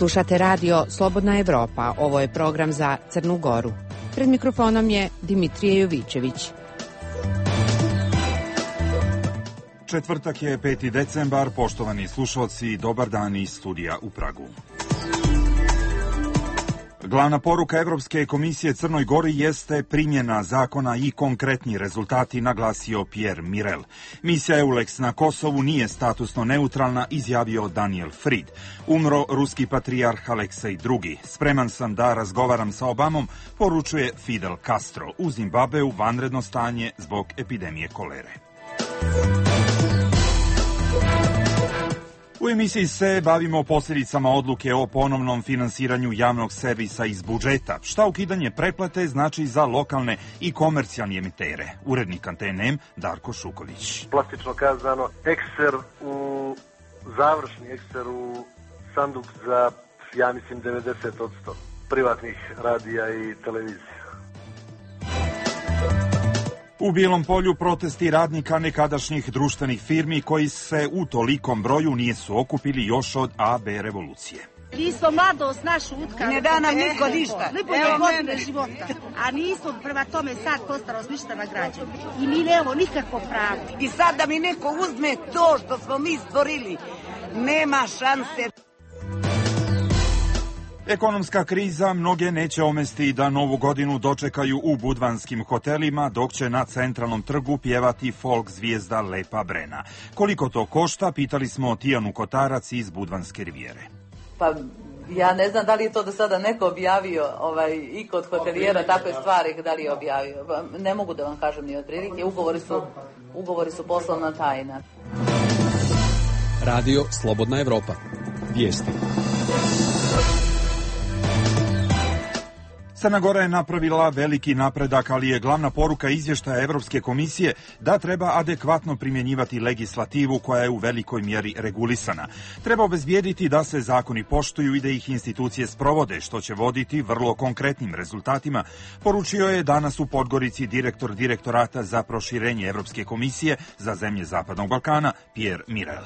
Slušate radio Slobodna Evropa. Ovo je program za Crnu Goru. Pred mikrofonom je Dimitrije Jovićević. Četvrtak je 5. decembar. Poštovani slušalci, dobar dan iz studija u Pragu. Glavna poruka Evropske komisije Crnoj Gori jeste primjena zakona i konkretni rezultati, naglasio Pierre Mirel. Misija EULEX na Kosovu nije statusno neutralna, izjavio Daniel Fried. Umro ruski patrijarh Aleksej II. Spreman sam da razgovaram sa Obamom, poručuje Fidel Castro. U Zimbabveu vanredno stanje zbog epidemije kolere. U emisiji se bavimo posljedicama odluke o ponovnom finansiranju javnog servisa iz budžeta. Šta ukidanje pretplate znači za lokalne i komercijalne emitere? Urednik Antene Darko Šuković. Plastično kazano, završni ekser u sanduk za, ja mislim, 90% privatnih radija i televizija. U Bijelom Polju protesti radnika nekadašnjih društvenih firmi koji se u tolikom broju nisu okupili još od AB revolucije. Nisu mladost našu utkali. Ne da nam niko ništa. Evo godine života. A nisu prema tome sad postarost ništa nagrađeni. I mi nemamo nikakvo pravo. I sad da mi neko uzme to što smo mi stvorili, nema šanse. Ekonomska kriza mnoge neće omesti da novu godinu dočekaju u budvanskim hotelima, dok će na centralnom trgu pjevati folk zvijezda Lepa Brena. Koliko to košta, pitali smo Tijanu Kotarac iz Budvanske rivijere. Pa ja ne znam da li je to do sada neko objavio i kod hotelijera takve stvari, da li je objavio. Pa, ne mogu da vam kažem ni otprilike, ugovori su poslovna tajna. Radio Slobodna Evropa. Vijesti. Crna Gora je napravila veliki napredak, ali je glavna poruka izvještaja Evropske komisije da treba adekvatno primjenjivati legislativu koja je u velikoj mjeri regulisana. Treba obezbijediti da se zakoni poštuju i da ih institucije sprovode, što će voditi vrlo konkretnim rezultatima, poručio je danas u Podgorici direktor Direktorata za proširenje Evropske komisije za zemlje Zapadnog Balkana Pierre Mirel.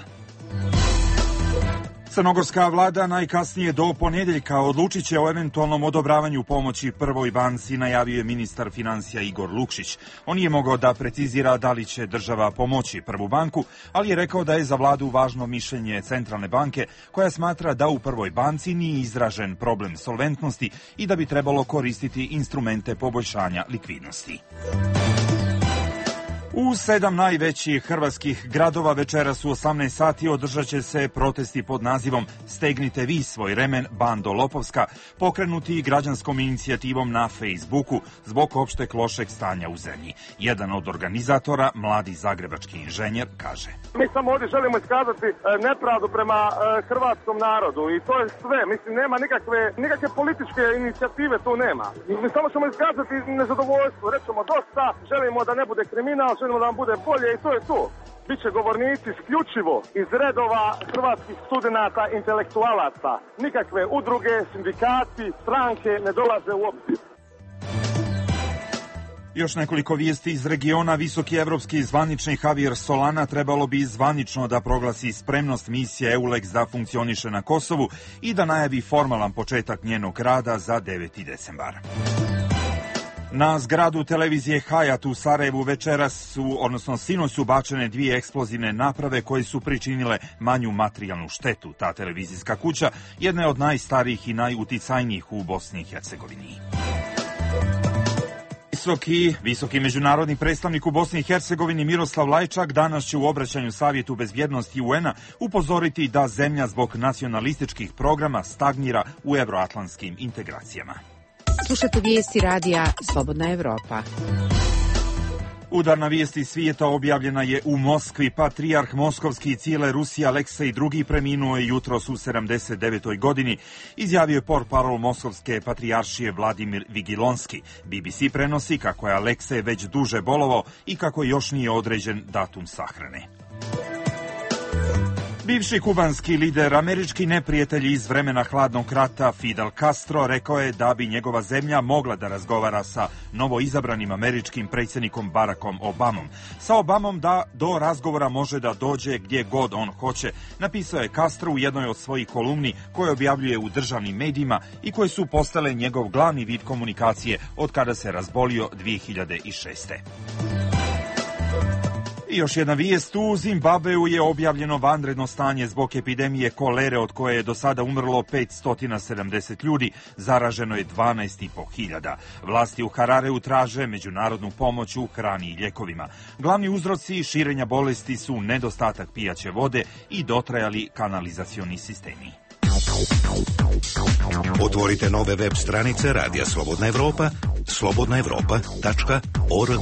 Crnogorska vlada najkasnije do ponedjeljka odlučit će o eventualnom odobravanju pomoći Prvoj banci, najavio je ministar financija Igor Lukšić. On nije mogao da precizira da li će država pomoći Prvu banku, ali je rekao da je za vladu važno mišljenje Centralne banke, koja smatra da u Prvoj banci nije izražen problem solventnosti i da bi trebalo koristiti instrumente poboljšanja likvidnosti. U 7 najvećih hrvatskih gradova večeras u 18 sati održat će se protesti pod nazivom Stegnite vi svoj remen, bando lopovska, pokrenuti građanskom inicijativom na Facebooku zbog opšteg lošeg stanja u zemlji. Jedan od organizatora, mladi zagrebački inženjer, kaže: Mi samo ovdje želimo iskazati nepravdu prema hrvatskom narodu i to je sve. Mislim, nema nikakve političke inicijative, tu nema. Mi samo ćemo iskazati nezadovoljstvo, rećemo dosta, želimo da ne bude kriminal, želimo da nam bude bolje i to je to. Biće govornici isključivo iz redova hrvatskih studenata, intelektualaca. Nikakve udruge, sindikati, stranke ne dolaze u obzir. Još nekoliko vijesti iz regiona. Visoki evropski zvaničnik Javier Solana trebalo bi zvanično da proglasi spremnost misije EULEX da funkcioniše na Kosovu i da najavi formalan početak njenog rada za 9. decembar. Na zgradu televizije Hayat u Sarajevu sinoć su bačene 2 eksplozivne naprave koje su pričinile manju materijalnu štetu. Ta televizijska kuća jedna je od najstarijih i najuticajnijih u Bosni i Hercegovini. Visoki međunarodni predstavnik u Bosni i Hercegovini Miroslav Lajčak danas će u obraćanju Savjetu bezbjednosti UN-a upozoriti da zemlja zbog nacionalističkih programa stagnira u evroatlantskim integracijama. Slušate vijesti radija Slobodna Evropa. Udarna vijest iz svijeta objavljena je u Moskvi. Patrijarh moskovski i cijele Rusije Aleksej II. Preminuo je jutros u 79. godini, izjavio je portparol moskovske patrijaršije Vladimir Vigilonski. BBC prenosi kako je Aleksej već duže bolovao i kako još nije određen datum sahrane. Bivši kubanski lider, američki neprijatelj iz vremena hladnog rata Fidel Castro rekao je da bi njegova zemlja mogla da razgovara sa novoizabranim američkim predsjednikom Barackom Obamom. Sa Obamom da do razgovora može da dođe gdje god on hoće, napisao je Castro u jednoj od svojih kolumni koje objavljuje u državnim medijima i koje su postale njegov glavni vid komunikacije od kada se razbolio 2006. I još jedna vijest, u Zimbabveu je objavljeno vanredno stanje zbog epidemije kolere od koje je do sada umrlo 570 ljudi, zaraženo je 12.500. Vlasti u Harareu traže međunarodnu pomoć u hrani i ljekovima. Glavni uzroci širenja bolesti su nedostatak pijaće vode i dotrajali kanalizacioni sistemi. Otvorite nove web stranice Radija Slobodna Evropa, slobodnaevropa.org.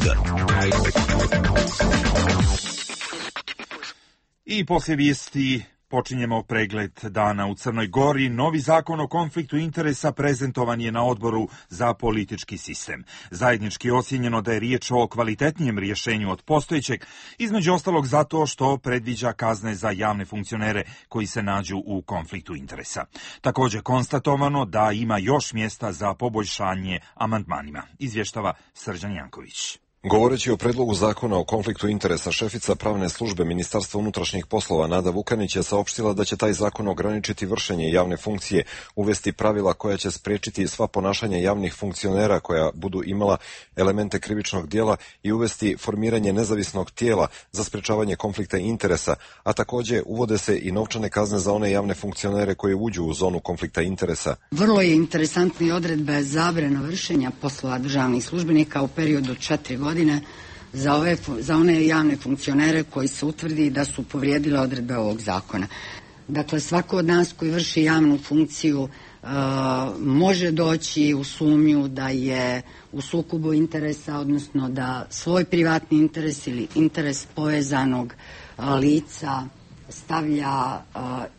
I poslije vijesti počinjemo pregled dana u Crnoj Gori. Novi zakon o konfliktu interesa prezentovan je na odboru za politički sistem. Zajednički je ocijenjeno da je riječ o kvalitetnijem rješenju od postojećeg, između ostalog zato što predviđa kazne za javne funkcionere koji se nađu u konfliktu interesa. Također konstatovano da ima još mjesta za poboljšanje amandmanima, izvještava Srđan Janković. Govoreći o predlogu zakona o konfliktu interesa, šefica pravne službe Ministarstva unutrašnjih poslova Nada Vukanić je saopštila da će taj zakon ograničiti vršenje javne funkcije, uvesti pravila koja će spriječiti sva ponašanja javnih funkcionera koja budu imala elemente krivičnog djela i uvesti formiranje nezavisnog tijela za sprečavanje konflikta interesa, a također uvode se i novčane kazne za one javne funkcionere koje uđu u zonu konflikta interesa. Vrlo je interesantna i odredba zabrana vršenja poslova državnih službenika u periodu od 4 godine za one javne funkcionere koji se utvrdi da su povrijedile odredbe ovog zakona. Dakle, svako od nas koji vrši javnu funkciju može doći u sumnju da je u sukobu interesa, odnosno da svoj privatni interes ili interes povezanog lica stavlja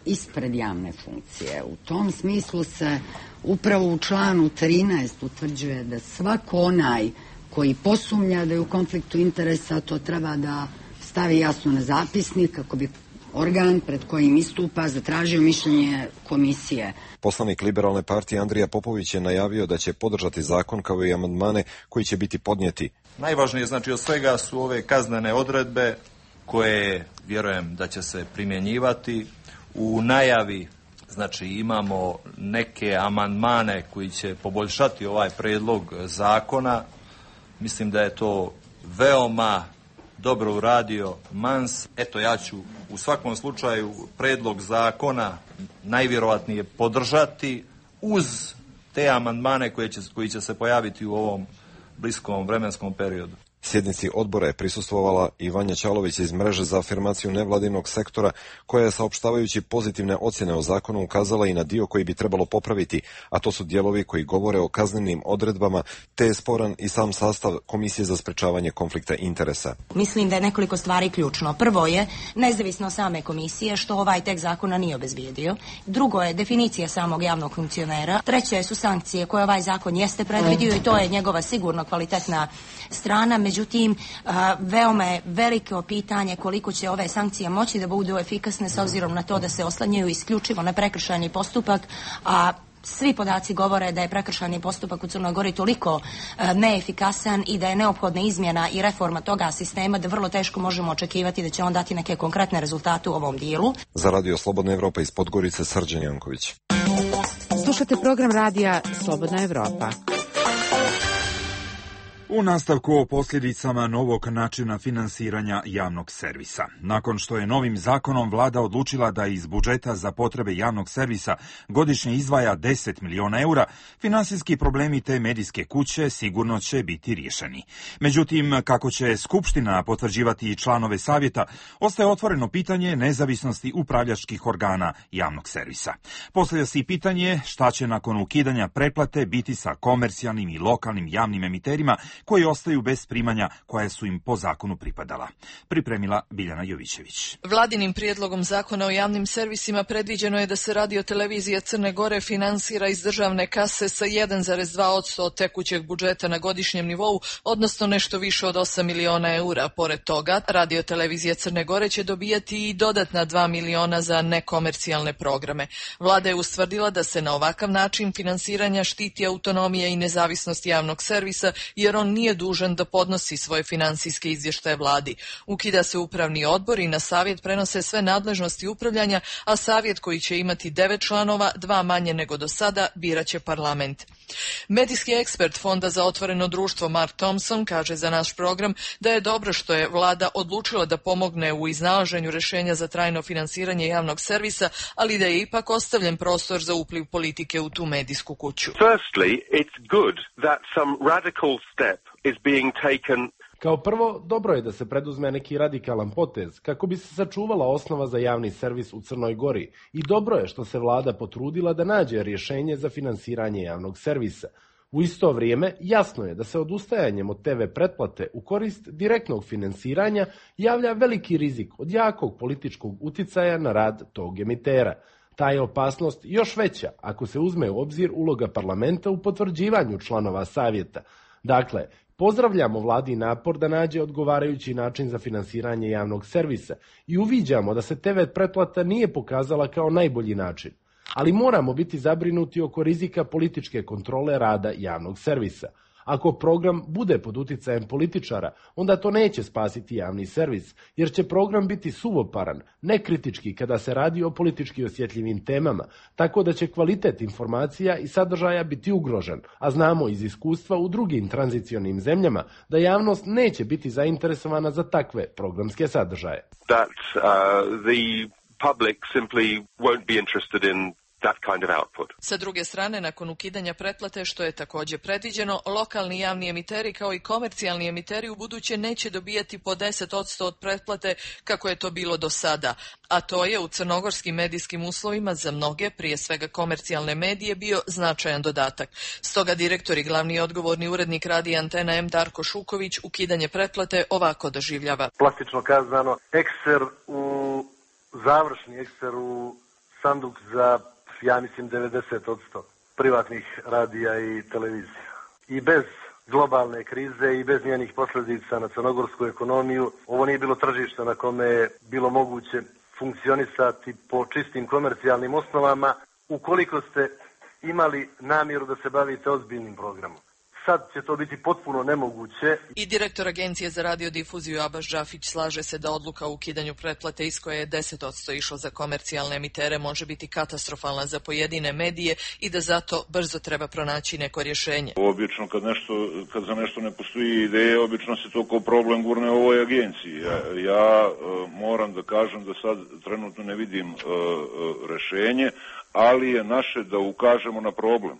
ispred javne funkcije. U tom smislu se upravo u članu 13 utvrđuje da svako onaj koji posumnja da je u konfliktu interesa, to treba da stavi jasno na zapisnik kako bi organ pred kojim istupa zatražio mišljenje komisije. Poslanik Liberalne partije Andrija Popović je najavio da će podržati zakon kao i amandmane koji će biti podnijeti. Najvažnije znači od svega su ove kaznene odredbe koje vjerujem da će se primjenjivati. U najavi znači imamo neke amandmane koji će poboljšati ovaj predlog zakona. Mislim da je to veoma dobro uradio Mans. Eto, ja ću u svakom slučaju predlog zakona najvjerojatnije podržati uz te amandmane koji će se pojaviti u ovom bliskom vremenskom periodu. Sjednici odbora je prisustvovala i Vanja Ćalović iz mreže za afirmaciju nevladinog sektora, koja je saopštavajući pozitivne ocjene o zakonu ukazala i na dio koji bi trebalo popraviti, a to su dijelovi koji govore o kaznenim odredbama, te je sporan i sam sastav Komisije za sprečavanje konflikta interesa. Mislim da je nekoliko stvari ključno. Prvo je nezavisno same komisije, što ovaj tekst zakona nije obezbijedio. Drugo je definicija samog javnog funkcionera. Treće su sankcije koje ovaj zakon jeste predvidio i to je njegova sigurno kvalitetna strana. Međutim, veoma je veliko pitanje koliko će ove sankcije moći da budu efikasne s obzirom na to da se oslanjaju isključivo na prekršajni postupak, a svi podaci govore da je prekršajni postupak u Crnoj Gori toliko neefikasan i da je neophodna izmjena i reforma toga sistema da vrlo teško možemo očekivati da će on dati neke konkretne rezultate u ovom dijelu. Za Radio Slobodna Evropa iz Podgorice, Srđan Janković. Slušate program radija Slobodna Evropa. U nastavku o posljedicama novog načina finansiranja javnog servisa. Nakon što je novim zakonom vlada odlučila da iz budžeta za potrebe javnog servisa godišnje izdvaja 10 miliona eura, finansijski problemi te medijske kuće sigurno će biti riješeni. Međutim, kako će Skupština potvrđivati članove savjeta, ostaje otvoreno pitanje nezavisnosti upravljačkih organa javnog servisa. Postavlja se i pitanje šta će nakon ukidanja pretplate biti sa komercijalnim i lokalnim javnim emiterima koji ostaju bez primanja koja su im po zakonu pripadala. Pripremila Biljana Jovićević. Vladinim prijedlogom zakona o javnim servisima predviđeno je da se radiotelevizija Crne Gore finansira iz državne kase sa 1,2% od tekućeg budžeta na godišnjem nivou, odnosno nešto više od 8 miliona eura. Pored toga, radiotelevizija Crne Gore će dobijati i dodatna 2 miliona za nekomercijalne programe. Vlada je ustvrdila da se na ovakav način finansiranja štiti autonomija i nezavisnost javnog servisa, jer on nije dužan da podnosi svoje finansijske izvještaje vladi. Ukida se upravni odbor i na savjet prenose sve nadležnosti upravljanja, a savjet koji će imati 9 članova, 2 manje nego do sada, biraće parlament. Medijski ekspert Fonda za otvoreno društvo Mark Thompson kaže za naš program da je dobro što je vlada odlučila da pomogne u iznalaženju rješenja za trajno finansiranje javnog servisa, ali da je ipak ostavljen prostor za upliv politike u tu medijsku kuću. Firstly, it's good that some radical step is being taken. Kao prvo, dobro je da se preduzme neki radikalan potez kako bi se sačuvala osnova za javni servis u Crnoj Gori i dobro je što se vlada potrudila da nađe rješenje za finansiranje javnog servisa. U isto vrijeme, jasno je da se odustajanjem od TV pretplate u korist direktnog finansiranja javlja veliki rizik od jakog političkog uticaja na rad tog emitera. Ta je opasnost još veća ako se uzme u obzir uloga parlamenta u potvrđivanju članova savjeta. Dakle, pozdravljamo vladi napor da nađe odgovarajući način za finansiranje javnog servisa i uviđamo da se TV pretplata nije pokazala kao najbolji način. Ali moramo biti zabrinuti oko rizika političke kontrole rada javnog servisa. Ako program bude pod uticajem političara, onda to neće spasiti javni servis, jer će program biti suvoparan, nekritički kada se radi o politički osjetljivim temama, tako da će kvalitet informacija i sadržaja biti ugrožen, a znamo iz iskustva u drugim tranzicionim zemljama da javnost neće biti zainteresovana za takve programske sadržaje. That the public simply won't be interested in that kind of output. Sa druge strane, nakon ukidanja pretplate, što je također predviđeno, lokalni javni emiteri kao i komercijalni emiteri u buduće neće dobijati po 10% od pretplate kako je to bilo do sada, a to je u crnogorskim medijskim uslovima za mnoge, prije svega komercijalne medije, bio značajan dodatak. Stoga direktor i glavni odgovorni urednik radija Antena M Darko Šuković ukidanje pretplate ovako doživljava. Plastično kazano, završni ekser u sanduk za, ja mislim, 90% privatnih radija i televizija. I bez globalne krize i bez njenih posljedica na crnogorsku ekonomiju, ovo nije bilo tržište na kome je bilo moguće funkcionisati po čistim komercijalnim osnovama ukoliko ste imali namjeru da se bavite ozbiljnim programom. Sad će to biti potpuno nemoguće. I direktor Agencije za radiodifuziju Abaš Džafić slaže se da odluka o ukidanju pretplate iz koje je 10% išlo za komercijalne emitere može biti katastrofalna za pojedine medije i da zato brzo treba pronaći neko rješenje. Obično kad za nešto ne postoji ideje, obično se to kao problem gurne u ovoj agenciji. Ja moram da kažem da sad trenutno ne vidim rješenje, ali je naše da ukažemo na problem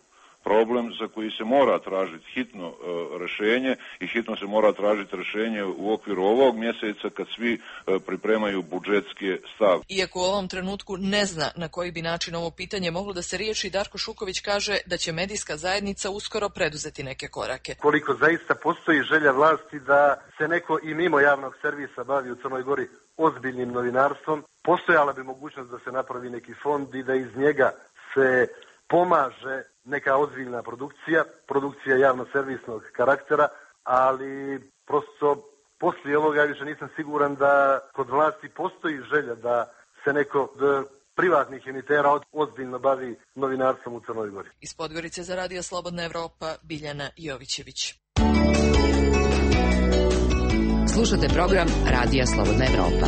za koji se mora tražiti hitno rješenje i hitno se mora tražiti rješenje u okviru ovog mjeseca kad svi pripremaju budžetske stavke. Iako u ovom trenutku ne zna na koji bi način ovo pitanje moglo da se riješi, Darko Šuković kaže da će medijska zajednica uskoro preduzeti neke korake. Koliko zaista postoji želja vlasti da se neko i mimo javnog servisa bavi u Crnoj Gori ozbiljnim novinarstvom, postojala bi mogućnost da se napravi neki fond i da iz njega se pomaže neka ozbiljna produkcija javno-servisnog karaktera, ali prosto poslije ovoga više nisam siguran da kod vlasti postoji želja da se neko od privatnih emitera ozbiljno bavi novinarstvom u Crnoj Gori. Iz Podgorice za Radio Slobodna Evropa, Biljana Jovićević. Slušate program Radija Slobodna Evropa.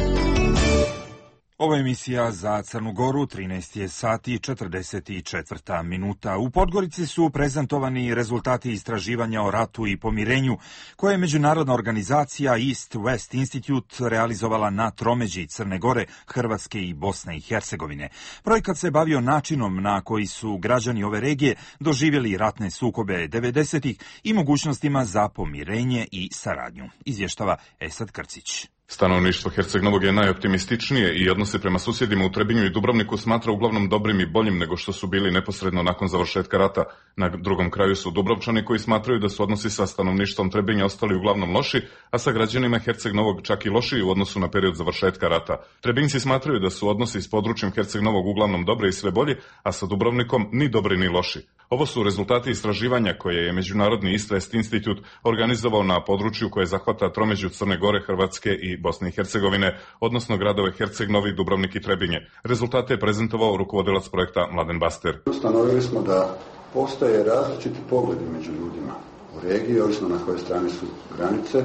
Ovo je emisija za Crnu Goru, 13 je sati i 44 minuta. U Podgorici su prezentovani rezultati istraživanja o ratu i pomirenju koje je međunarodna organizacija East West Institute realizovala na tromeđi Crne Gore, Hrvatske i Bosne i Hercegovine. Projekat se bavio načinom na koji su građani ove regije doživjeli ratne sukobe 90-ih i mogućnostima za pomirenje i saradnju. Izvještava Esad Krcić. Stanovništvo Herceg Novog je najoptimističnije i odnose prema susjedima u Trebinju i Dubrovniku smatra uglavnom dobrim i boljim nego što su bili neposredno nakon završetka rata. Na drugom kraju su Dubrovčani koji smatraju da su odnosi sa stanovništvom Trebinja ostali uglavnom loši, a sa građanima Herceg Novog čak i lošiji u odnosu na period završetka rata. Trebinjci smatraju da su odnosi s područjem Herceg Novog uglavnom dobre i sve bolji, a sa Dubrovnikom ni dobri ni loši. Ovo su rezultati istraživanja koje je Međunarodni Istvest institut organizovao na području koje zahvata tromeđu Crne Gore, Hrvatske i Bosne i Hercegovine, odnosno gradove Herceg Novi, Dubrovnik i Trebinje. Rezultate je prezentovao rukovodilac projekta Mladen Baster. Ustanovili smo da postoje različiti pogledi među ljudima u regiji, ovisno na kojoj strani su granice,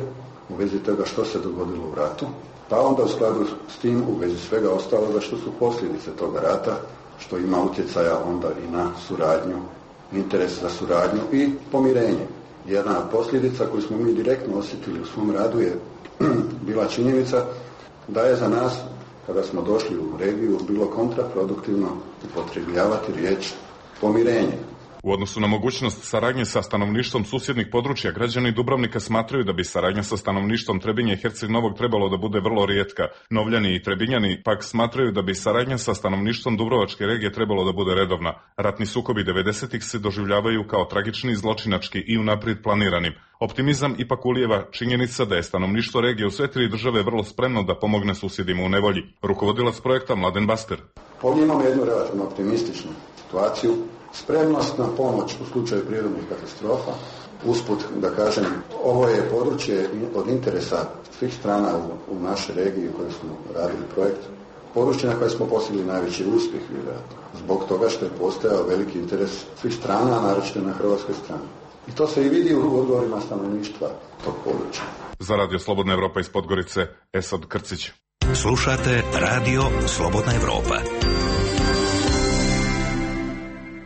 u vezi toga što se dogodilo u ratu, pa onda u skladu s tim u vezi svega ostaloga što su posljedice toga rata, što ima utjecaja onda i na suradnju, interes za suradnju i pomirenje. Jedna od posljedica koju smo mi direktno osjetili u svom radu je bila činjenica da je za nas, kada smo došli u regiju, bilo kontraproduktivno upotrebljavati riječ pomirenje. U odnosu na mogućnost saradnje sa stanovništvom susjednih područja, građani Dubrovnika smatraju da bi saradnja sa stanovništvom Trebinje i Herceg Novog trebalo da bude vrlo rijetka. Novljani i Trebinjani pak smatraju da bi saradnja sa stanovništvom Dubrovačke regije trebalo da bude redovna. Ratni sukobi 90-ih se doživljavaju kao tragični, zločinački i unaprijed planiranim. Optimizam ipak ulijeva činjenica da je stanovništvo regije u sve tri države vrlo spremno da pomogne susjedima u nevolji. Rukovodilac projekta Mladen Baster. Ovdje imamo jednu relativno optimističnu situaciju. Spremnost na pomoć u slučaju prirodnih katastrofa. Usput da kažem, ovo je područje od interesa svih strana u našoj regiji u kojoj smo radili projekt. Područje na koje smo postigli najveći uspjeh, vjerojatno. Zbog toga što je postojao veliki interes svih strana, naročito na hrvatskoj strani. I to se i vidi u odgovorima stanovništva tog područja. Za Radio Slobodna Evropa iz Podgorice, Esad Krcić. Slušate Radio Slobodna Evropa.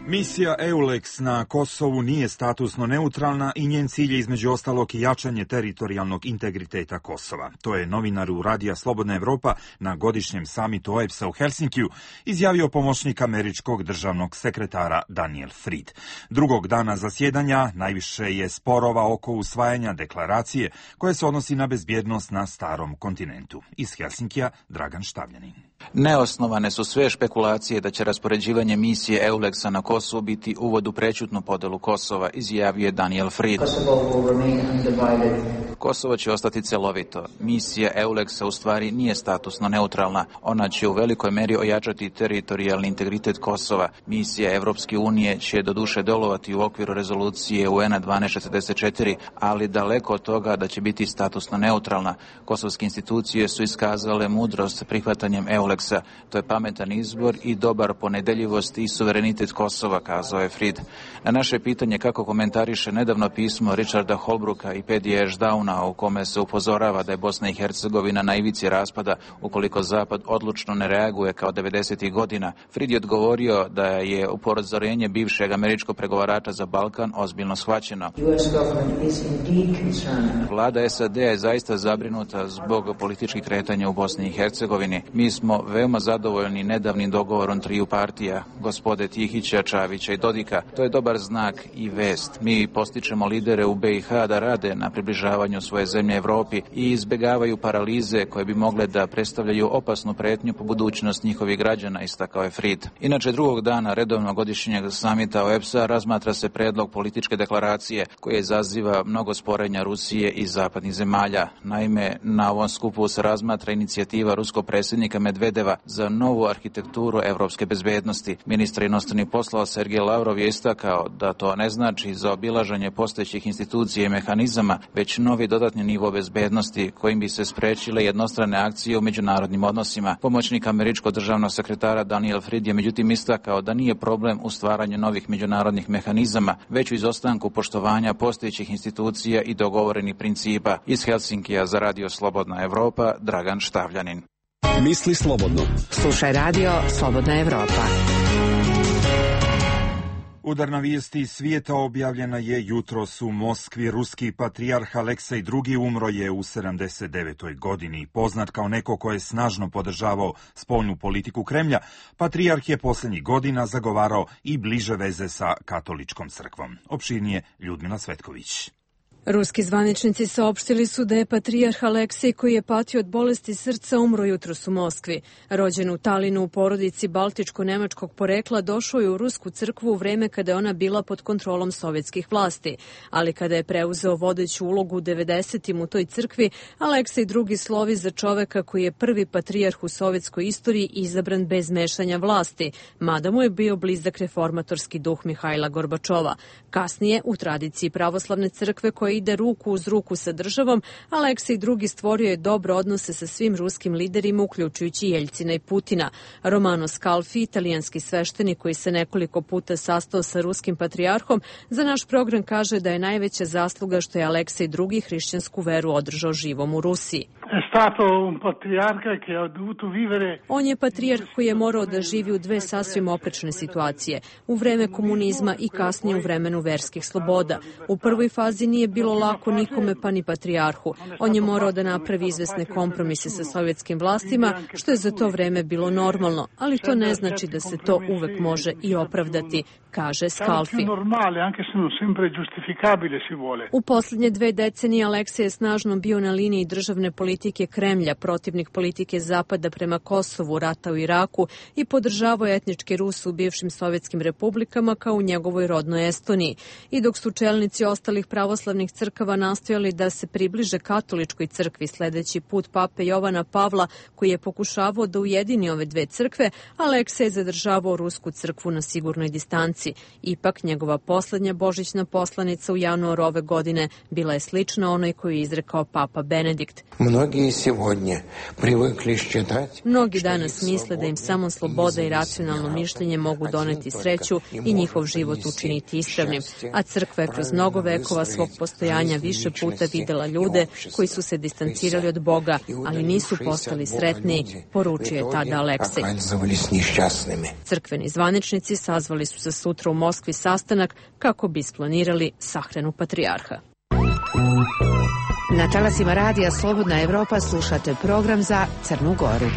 Misija EULEX na Kosovu nije statusno neutralna i njen cilj je između ostalog i jačanje teritorijalnog integriteta Kosova. To je novinaru Radija Slobodna Evropa na godišnjem samitu OEBS-a u Helsinkiju izjavio pomoćnik američkog državnog sekretara Daniel Fried. Drugog dana zasjedanja najviše je sporova oko usvajanja deklaracije koja se odnosi na bezbjednost na starom kontinentu. Iz Helsinkija Dragan Štavljanin. Neosnovane su sve špekulacije da će raspoređivanje misije EULEX-a na Kosovo biti uvod u prećutnu podelu Kosova, izjavio je Daniel Fried. Kosovo će ostati celovito. Misija EULEX-a u stvari nije statusno neutralna. Ona će u velikoj meri ojačati teritorijalni integritet Kosova. Misija Evropske unije će doduše delovati u okviru rezolucije UN-a 1244, ali daleko od toga da će biti statusno neutralna. Kosovske institucije su iskazale mudrost prihvatanjem EULEX-a. To je pametan izbor i dobar po nedeljivosti i suverenitet Kosova, kazao je Fried. Na naše pitanje kako komentariše nedavno pismo Richarda Holbrooka i Paddy Ashdowna u kome se upozorava da je Bosna i Hercegovina na ivici raspada ukoliko Zapad odlučno ne reaguje kao 90. godina, Fried je odgovorio da je upozorenje bivšeg američkog pregovarača za Balkan ozbiljno shvaćeno. Vlada SAD je zaista zabrinuta zbog političkih kretanja u Bosni i Hercegovini. Mi smo veoma zadovoljni nedavnim dogovorom triju partija, gospode Tihića, Čavića i Dodika. To je dobar znak i vest. Mi postičemo lidere u BiH da rade na približavanju svoje zemlje Evropi i izbjegavaju paralize koje bi mogle da predstavljaju opasnu pretnju po budućnost njihovih građana, istakao je Fried. Inače, drugog dana redovnog godišnjeg samita OEBS-a razmatra se predlog političke deklaracije koja izaziva mnogo sporenja Rusije i zapadnih zemalja. Naime, na ovom skupu se razmatra inicijativa ruskog predsjednika Medvedeva za novu arhitekturu evropske bezbednosti. Ministar inostranih poslova Sergej Lavrov je istakao da to ne znači zaobilaženje postojećih institucija i mehanizama, već novi dodatni nivo bezbednosti kojim bi se sprečile jednostrane akcije u međunarodnim odnosima. Pomoćnik američkog državnog sekretara Daniel Fried je međutim istakao da nije problem u stvaranju novih međunarodnih mehanizama, već u izostanku poštovanja postojećih institucija i dogovorenih principa. Iz Helsinkija za Radio Slobodna Evropa, Dragan Štavljanin. Misli slobodno. Slušaj Radio Slobodna Evropa. Udarna vijesti iz svijeta objavljena je jutros u Moskvi. Ruski patrijarh Aleksej II umro je u 79. godini. Poznat kao neko ko je snažno podržavao spoljnu politiku Kremlja, patrijarh je posljednjih godina zagovarao i bliže veze sa katoličkom crkvom. Opširnije Ljudmila Svetković. Ruski zvaničnici saopštili su da je patrijarh Aleksej, koji je patio od bolesti srca, umro jutros u Moskvi. Rođen u Talinu u porodici baltičko-nemačkog porekla, došao je u rusku crkvu u vreme kada je ona bila pod kontrolom sovjetskih vlasti. Ali kada je preuzeo vodeću ulogu u 90-im u toj crkvi, Aleksej II slovi za čoveka koji je prvi patrijarh u sovjetskoj istoriji izabran bez mešanja vlasti, mada mu je bio blizak reformatorski duh Mihajla Gorbačova. Kasnije, u tradiciji pravoslavne crkve koja ide ruku uz ruku sa državom, Aleksej II stvorio je dobre odnose sa svim ruskim liderima, uključujući Jeljcina i Putina. Romano Scalfi, italijanski sveštenik koji se nekoliko puta sastao sa ruskim patrijarhom, za naš program kaže da je najveća zasluga što je Aleksej II hrišćansku veru održao živom u Rusiji. On je patrijarh koji je morao da živi u dve sasvim oprečne situacije, u vreme komunizma i kasnije u vremenu verskih sloboda. U prvoj fazi nije bilo lako nikome, pa ni patrijarhu. On je morao da napravi izvesne kompromise sa sovjetskim vlastima, što je za to vreme bilo normalno, ali to ne znači da se to uvek može i opravdati, kaže Scalfi. U posljednje 2 decenije Aleksej je snažno bio na liniji državne politike Kremlja, protivnik politike Zapada prema Kosovu, rata u Iraku i podržavao etničke Ruse u bivšim sovjetskim republikama kao u njegovoj rodnoj Estoniji. I dok su čelnici ostalih pravoslavnih crkava nastojali da se približe katoličkoj crkvi sledeći put pape Jovana Pavla, koji je pokušavao da ujedini ove dve crkve, Aleksej je zadržavao rusku crkvu na sigurnoj distanci. Ipak, njegova poslednja božićna poslanica u januaru ove godine bila je slična onoj koju je izrekao papa Benedikt. Mnogi danas misle da im samo sloboda i racionalno mišljenje mogu doneti sreću i njihov život učiniti ispravnim, a crkva je kroz mnogo vekova svog postojanja više puta videla ljude koji su se distancirali od Boga, ali nisu postali sretniji, poručio je tada Aleksej. Crkveni zvaničnici sazvali su za sutra u Moskvi sastanak kako bi isplanirali sahranu patrijarha. Na talasima radija Slobodna Evropa slušate program za Crnu Goru.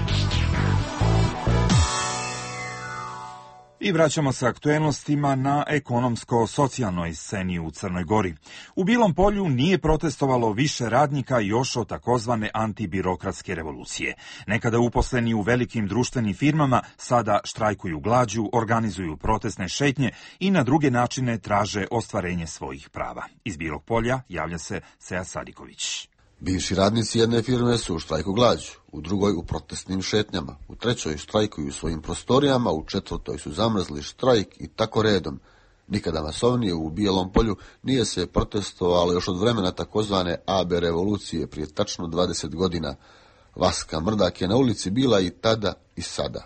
I vraćamo se aktuelnostima na ekonomsko-socijalnoj sceni u Crnoj Gori. U Bilom Polju nije protestovalo više radnika još od takozvane antibirokratske revolucije. Nekada uposleni u velikim društvenim firmama sada štrajkuju glađu, organizuju protestne šetnje i na druge načine traže ostvarenje svojih prava. Iz Bilog Polja javlja se Sead Sadiković. Bivši radnici jedne firme su u štrajku glađu, u drugoj u protestnim šetnjama, u trećoj štrajkuju u svojim prostorijama, u četvrtoj su zamrzli štrajk i tako redom. Nikada masovnije u Bijelom Polju nije se protestovalo još od vremena takozvane AB revolucije prije tačno 20 godina. Vaska Mrdak je na ulici bila i tada i sada.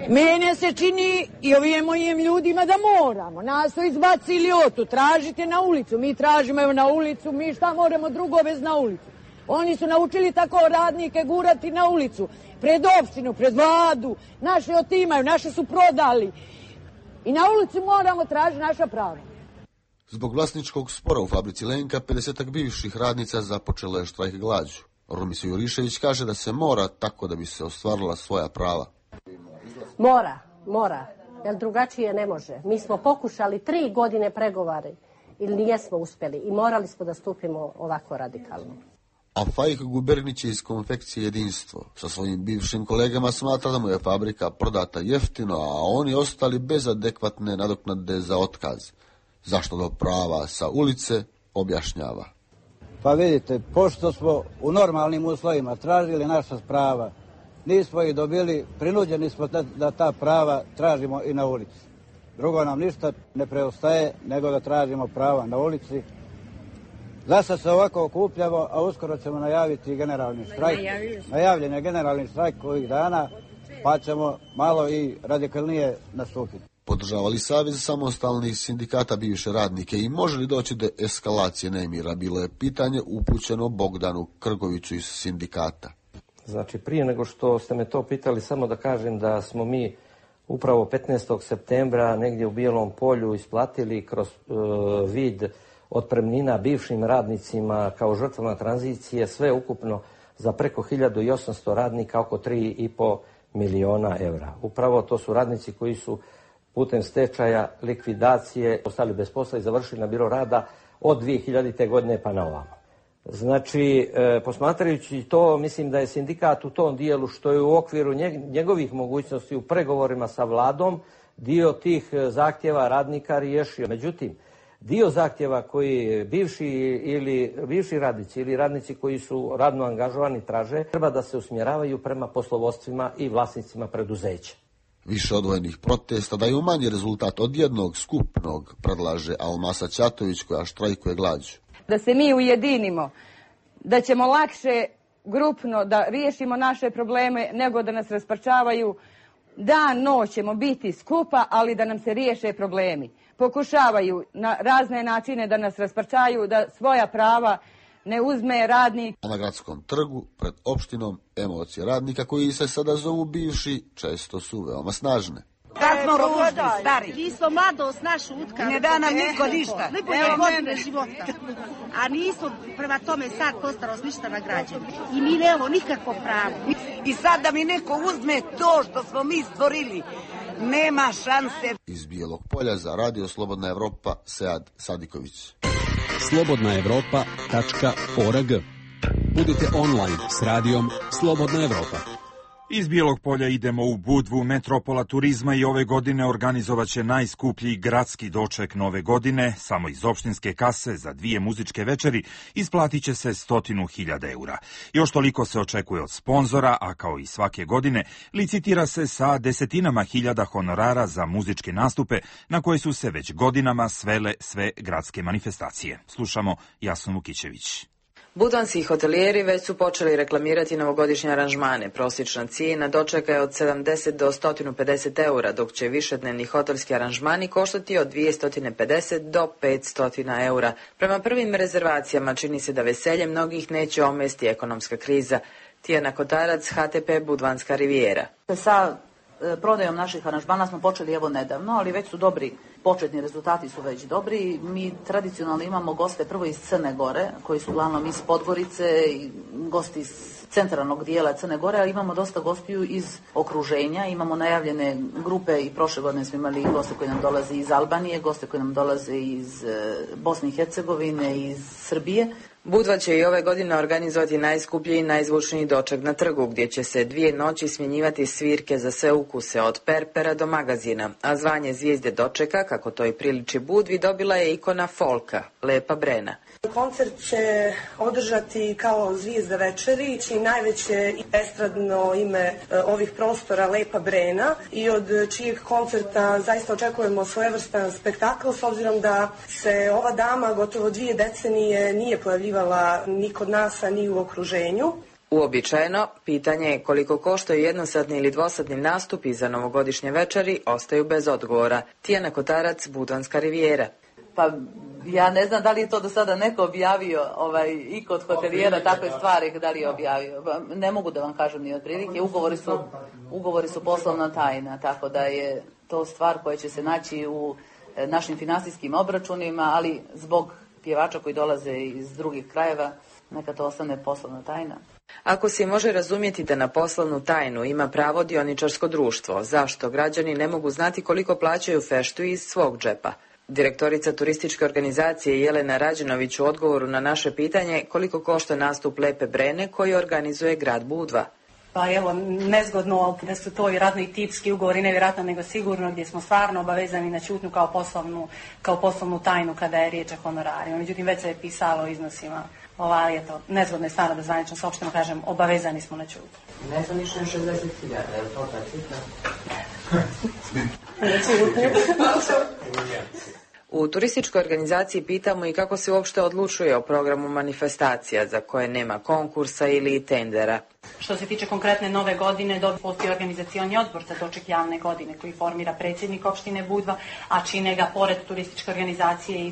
Mene se čini i ovim mojim ljudima da moramo. Nas su izbacili otu, tražite na ulicu. Mi tražimo evo na ulicu, mi šta moramo drugo bez na ulicu. Oni su naučili tako radnike gurati na ulicu, pred opštinu, pred vladu. Naše otimaju, naše su prodali. I na ulici moramo tražiti naša prava. Zbog vlasničkog spora u fabrici Lenka, 50 bivših radnica započele štrajk glađu. Rumisa Jurišević kaže da se mora tako da bi se ostvarila svoja prava. Mora, jer drugačije ne može. Mi smo pokušali 3 godine pregovare ili nijesmo uspjeli i morali smo da stupimo ovako radikalno. A Fajk Gubernić iz konfekcije Jedinstvo sa svojim bivšim kolegama smatra da mu je fabrika prodata jeftino, a oni ostali bez adekvatne nadoknade za otkaz. Zašto do prava sa ulice objašnjava. Pa vidite, pošto smo u normalnim uslovima tražili naša prava, nismo ih dobili, prinuđeni smo da ta prava tražimo i na ulici. Drugo nam ništa ne preostaje nego da tražimo prava na ulici. Zasad se ovako okupljamo, a uskoro ćemo najaviti generalni štrajk. Najavljen je generalni štrajk ovih dana, pa ćemo malo i radikalnije nastupiti. Podržavali Savez samostalnih sindikata bivše radnike i može li doći do eskalacije nemira? Bilo je pitanje upućeno Bogdanu Krgoviću iz sindikata. Znači, prije nego što ste me to pitali, samo da kažem da smo mi upravo 15. septembra negdje u Bijelom Polju isplatili kroz vid otpremnina bivšim radnicima kao žrtvama tranzicije sve ukupno za preko 1800 radnika, oko 3,5 miliona evra. Upravo to su radnici koji su putem stečaja, likvidacije ostali bez posla i završili na biro rada od 2000. godine pa na ovamo. Znači, posmatrajući to, mislim da je sindikat u tom dijelu što je u okviru njegovih mogućnosti u pregovorima sa vladom dio tih zahtjeva radnika riješio. Međutim, dio zahtjeva koji bivši radnici ili radnici koji su radno angažovani traže, treba da se usmjeravaju prema poslovodstvima i vlasnicima preduzeća. Više odvojenih protesta daju manji rezultat od jednog skupnog, predlaže Almasa Ćatović koja štrajkuje glađu. Da se mi ujedinimo, da ćemo lakše grupno da riješimo naše probleme nego da nas rasparčavaju. Dan, noć ćemo biti skupa, ali da nam se riješe problemi. Pokušavaju na razne načine da nas rasparčaju, da svoja prava ne uzme radnik. A na gradskom trgu, pred opštinom, emocije radnika koji se sada zovu bivši, često su veoma snažne. Kad smo ružni, stari. Mi smo mladost našu utkali. Ne da nam niko ništa. Evo godine života. A nismo prema tome sad po starost ništa nagrađeni. I mi nemamo nikakvo pravo. I sad da mi neko uzme to što smo mi stvorili, nema šanse. Iz Bijelog Polja za Radio Slobodna Evropa, Sead Sadiković. slobodnaevropa.org. Budite online s radijom Slobodna Evropa. Iz Bijelog Polja idemo u Budvu. Metropola turizma i ove godine organizovaće najskuplji gradski doček nove godine. Samo iz opštinske kase za 2 muzičke večeri isplatit će se 100.000 eura. Još toliko se očekuje od sponzora, a kao i svake godine licitira se sa desetinama hiljada honorara za muzičke nastupe na koje su se već godinama svele sve gradske manifestacije. Slušamo Jasnu Vukićević. Budvanski hotelijeri već su počeli reklamirati novogodišnje aranžmane. Prosječna cijena dočeka je od 70 do 150 eura, dok će višednevni hotelski aranžmani koštati od 250 do 500 eura. Prema prvim rezervacijama čini se da veselje mnogih neće omesti ekonomska kriza. Tijana Kotarac, HTP Budvanska rivijera. Sa prodajom naših aranžmana smo počeli evo nedavno, ali već su dobri. Početni rezultati su već dobri. Mi tradicionalno imamo goste prvo iz Crne Gore, koji su uglavnom iz Podgorice i gosti iz centralnog dijela Crne Gore, ali imamo dosta gostiju iz okruženja. Imamo najavljene grupe i prošle godine smo imali goste koji nam dolaze iz Albanije, goste koji nam dolaze iz Bosne i Hercegovine, iz Srbije. Budva će i ove godine organizovati najskuplji i najzvučniji doček na trgu, gdje će se 2 noći smjenjivati svirke za sve ukuse, od perpera do magazina, a zvanje zvijezde dočeka, kako to i priliči Budvi, dobila je ikona folka, Lepa Brena. Koncert će održati kao zvijezda večeri, čiji najveće estradno ime ovih prostora Lepa Brena i od čijeg koncerta zaista očekujemo svojevrstan spektakl, s obzirom da se ova dama gotovo 2 decenije nije pojavljivala ni kod nas, a ni u okruženju. Uobičajeno, pitanje je koliko koštaju jednosatni ili dvosatni nastupi za novogodišnje večeri ostaju bez odgovora. Tijana Kotarac, Budvanska rivijera. Pa ja ne znam da li je to do sada neko objavio i kod hotelijera takve stvari, da li je objavio. Ne mogu da vam kažem ni otprilike. Ugovori su poslovna tajna, tako da je to stvar koja će se naći u našim finansijskim obračunima, ali zbog pjevača koji dolaze iz drugih krajeva, neka to ostane poslovna tajna. Ako se može razumjeti da na poslovnu tajnu ima pravo dioničarsko društvo, zašto građani ne mogu znati koliko plaćaju feštu iz svog džepa? Direktorica turističke organizacije Jelena Rađenović u odgovoru na naše pitanje koliko košta nastup Lepe Brene koji organizuje grad Budva. Pa evo, nezgodno da su to vjerojatno i tipski ugovori, nevjerojatno nego sigurno, gdje smo stvarno obavezani na ćutnju kao poslovnu tajnu kada je riječ o honorarima. Međutim, već se je pisalo o iznosima. Ali eto, nezgodno je stvarno da zvanično saopšteno kažem, obavezani smo na ćutnju. Ne znam ništa 60.000, je li to ta cifra? U turističkoj organizaciji pitamo i kako se uopšte odlučuje o programu manifestacija za koje nema konkursa ili tendera. Što se tiče konkretne nove godine, postoji organizacioni odbor za doček javne godine koji formira predsjednik opštine Budva, a čine ga pored turističke organizacije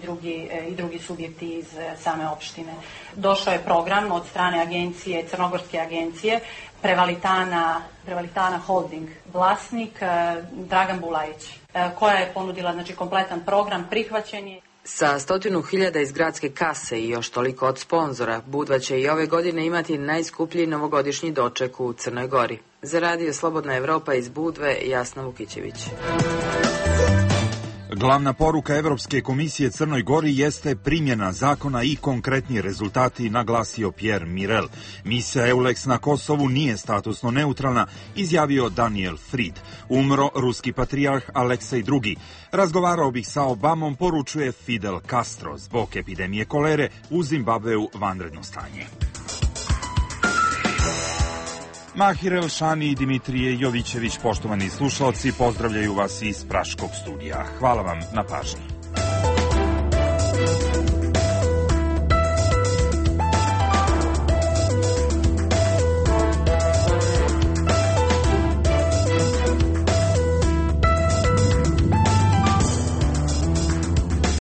i drugi subjekti iz same opštine. Došao je program od strane agencije, Crnogorske agencije, Prevalitana Holding vlasnik Dragan Bulajić, koja je ponudila kompletan program, prihvaćen je. Sa 100.000 iz gradske kase i još toliko od sponzora, Budva će i ove godine imati najskuplji novogodišnji doček u Crnoj Gori. Za Radio Slobodna Evropa iz Budve, Jasna Vukićević. Glavna poruka Evropske komisije Crnoj Gori jeste primjena zakona i konkretni rezultati, naglasio Pierre Mirel. Misija EULEX na Kosovu nije statusno neutralna, izjavio Daniel Fried. Umro ruski patrijarh Aleksej II. Razgovarao bih sa Obamom, poručuje Fidel Castro. Zbog epidemije kolere u Zimbabveu vanredno stanje. Mahir Elšani i Dimitrije Jovićević, poštovani slušalci, pozdravljaju vas iz Praškog studija. Hvala vam na pažnji.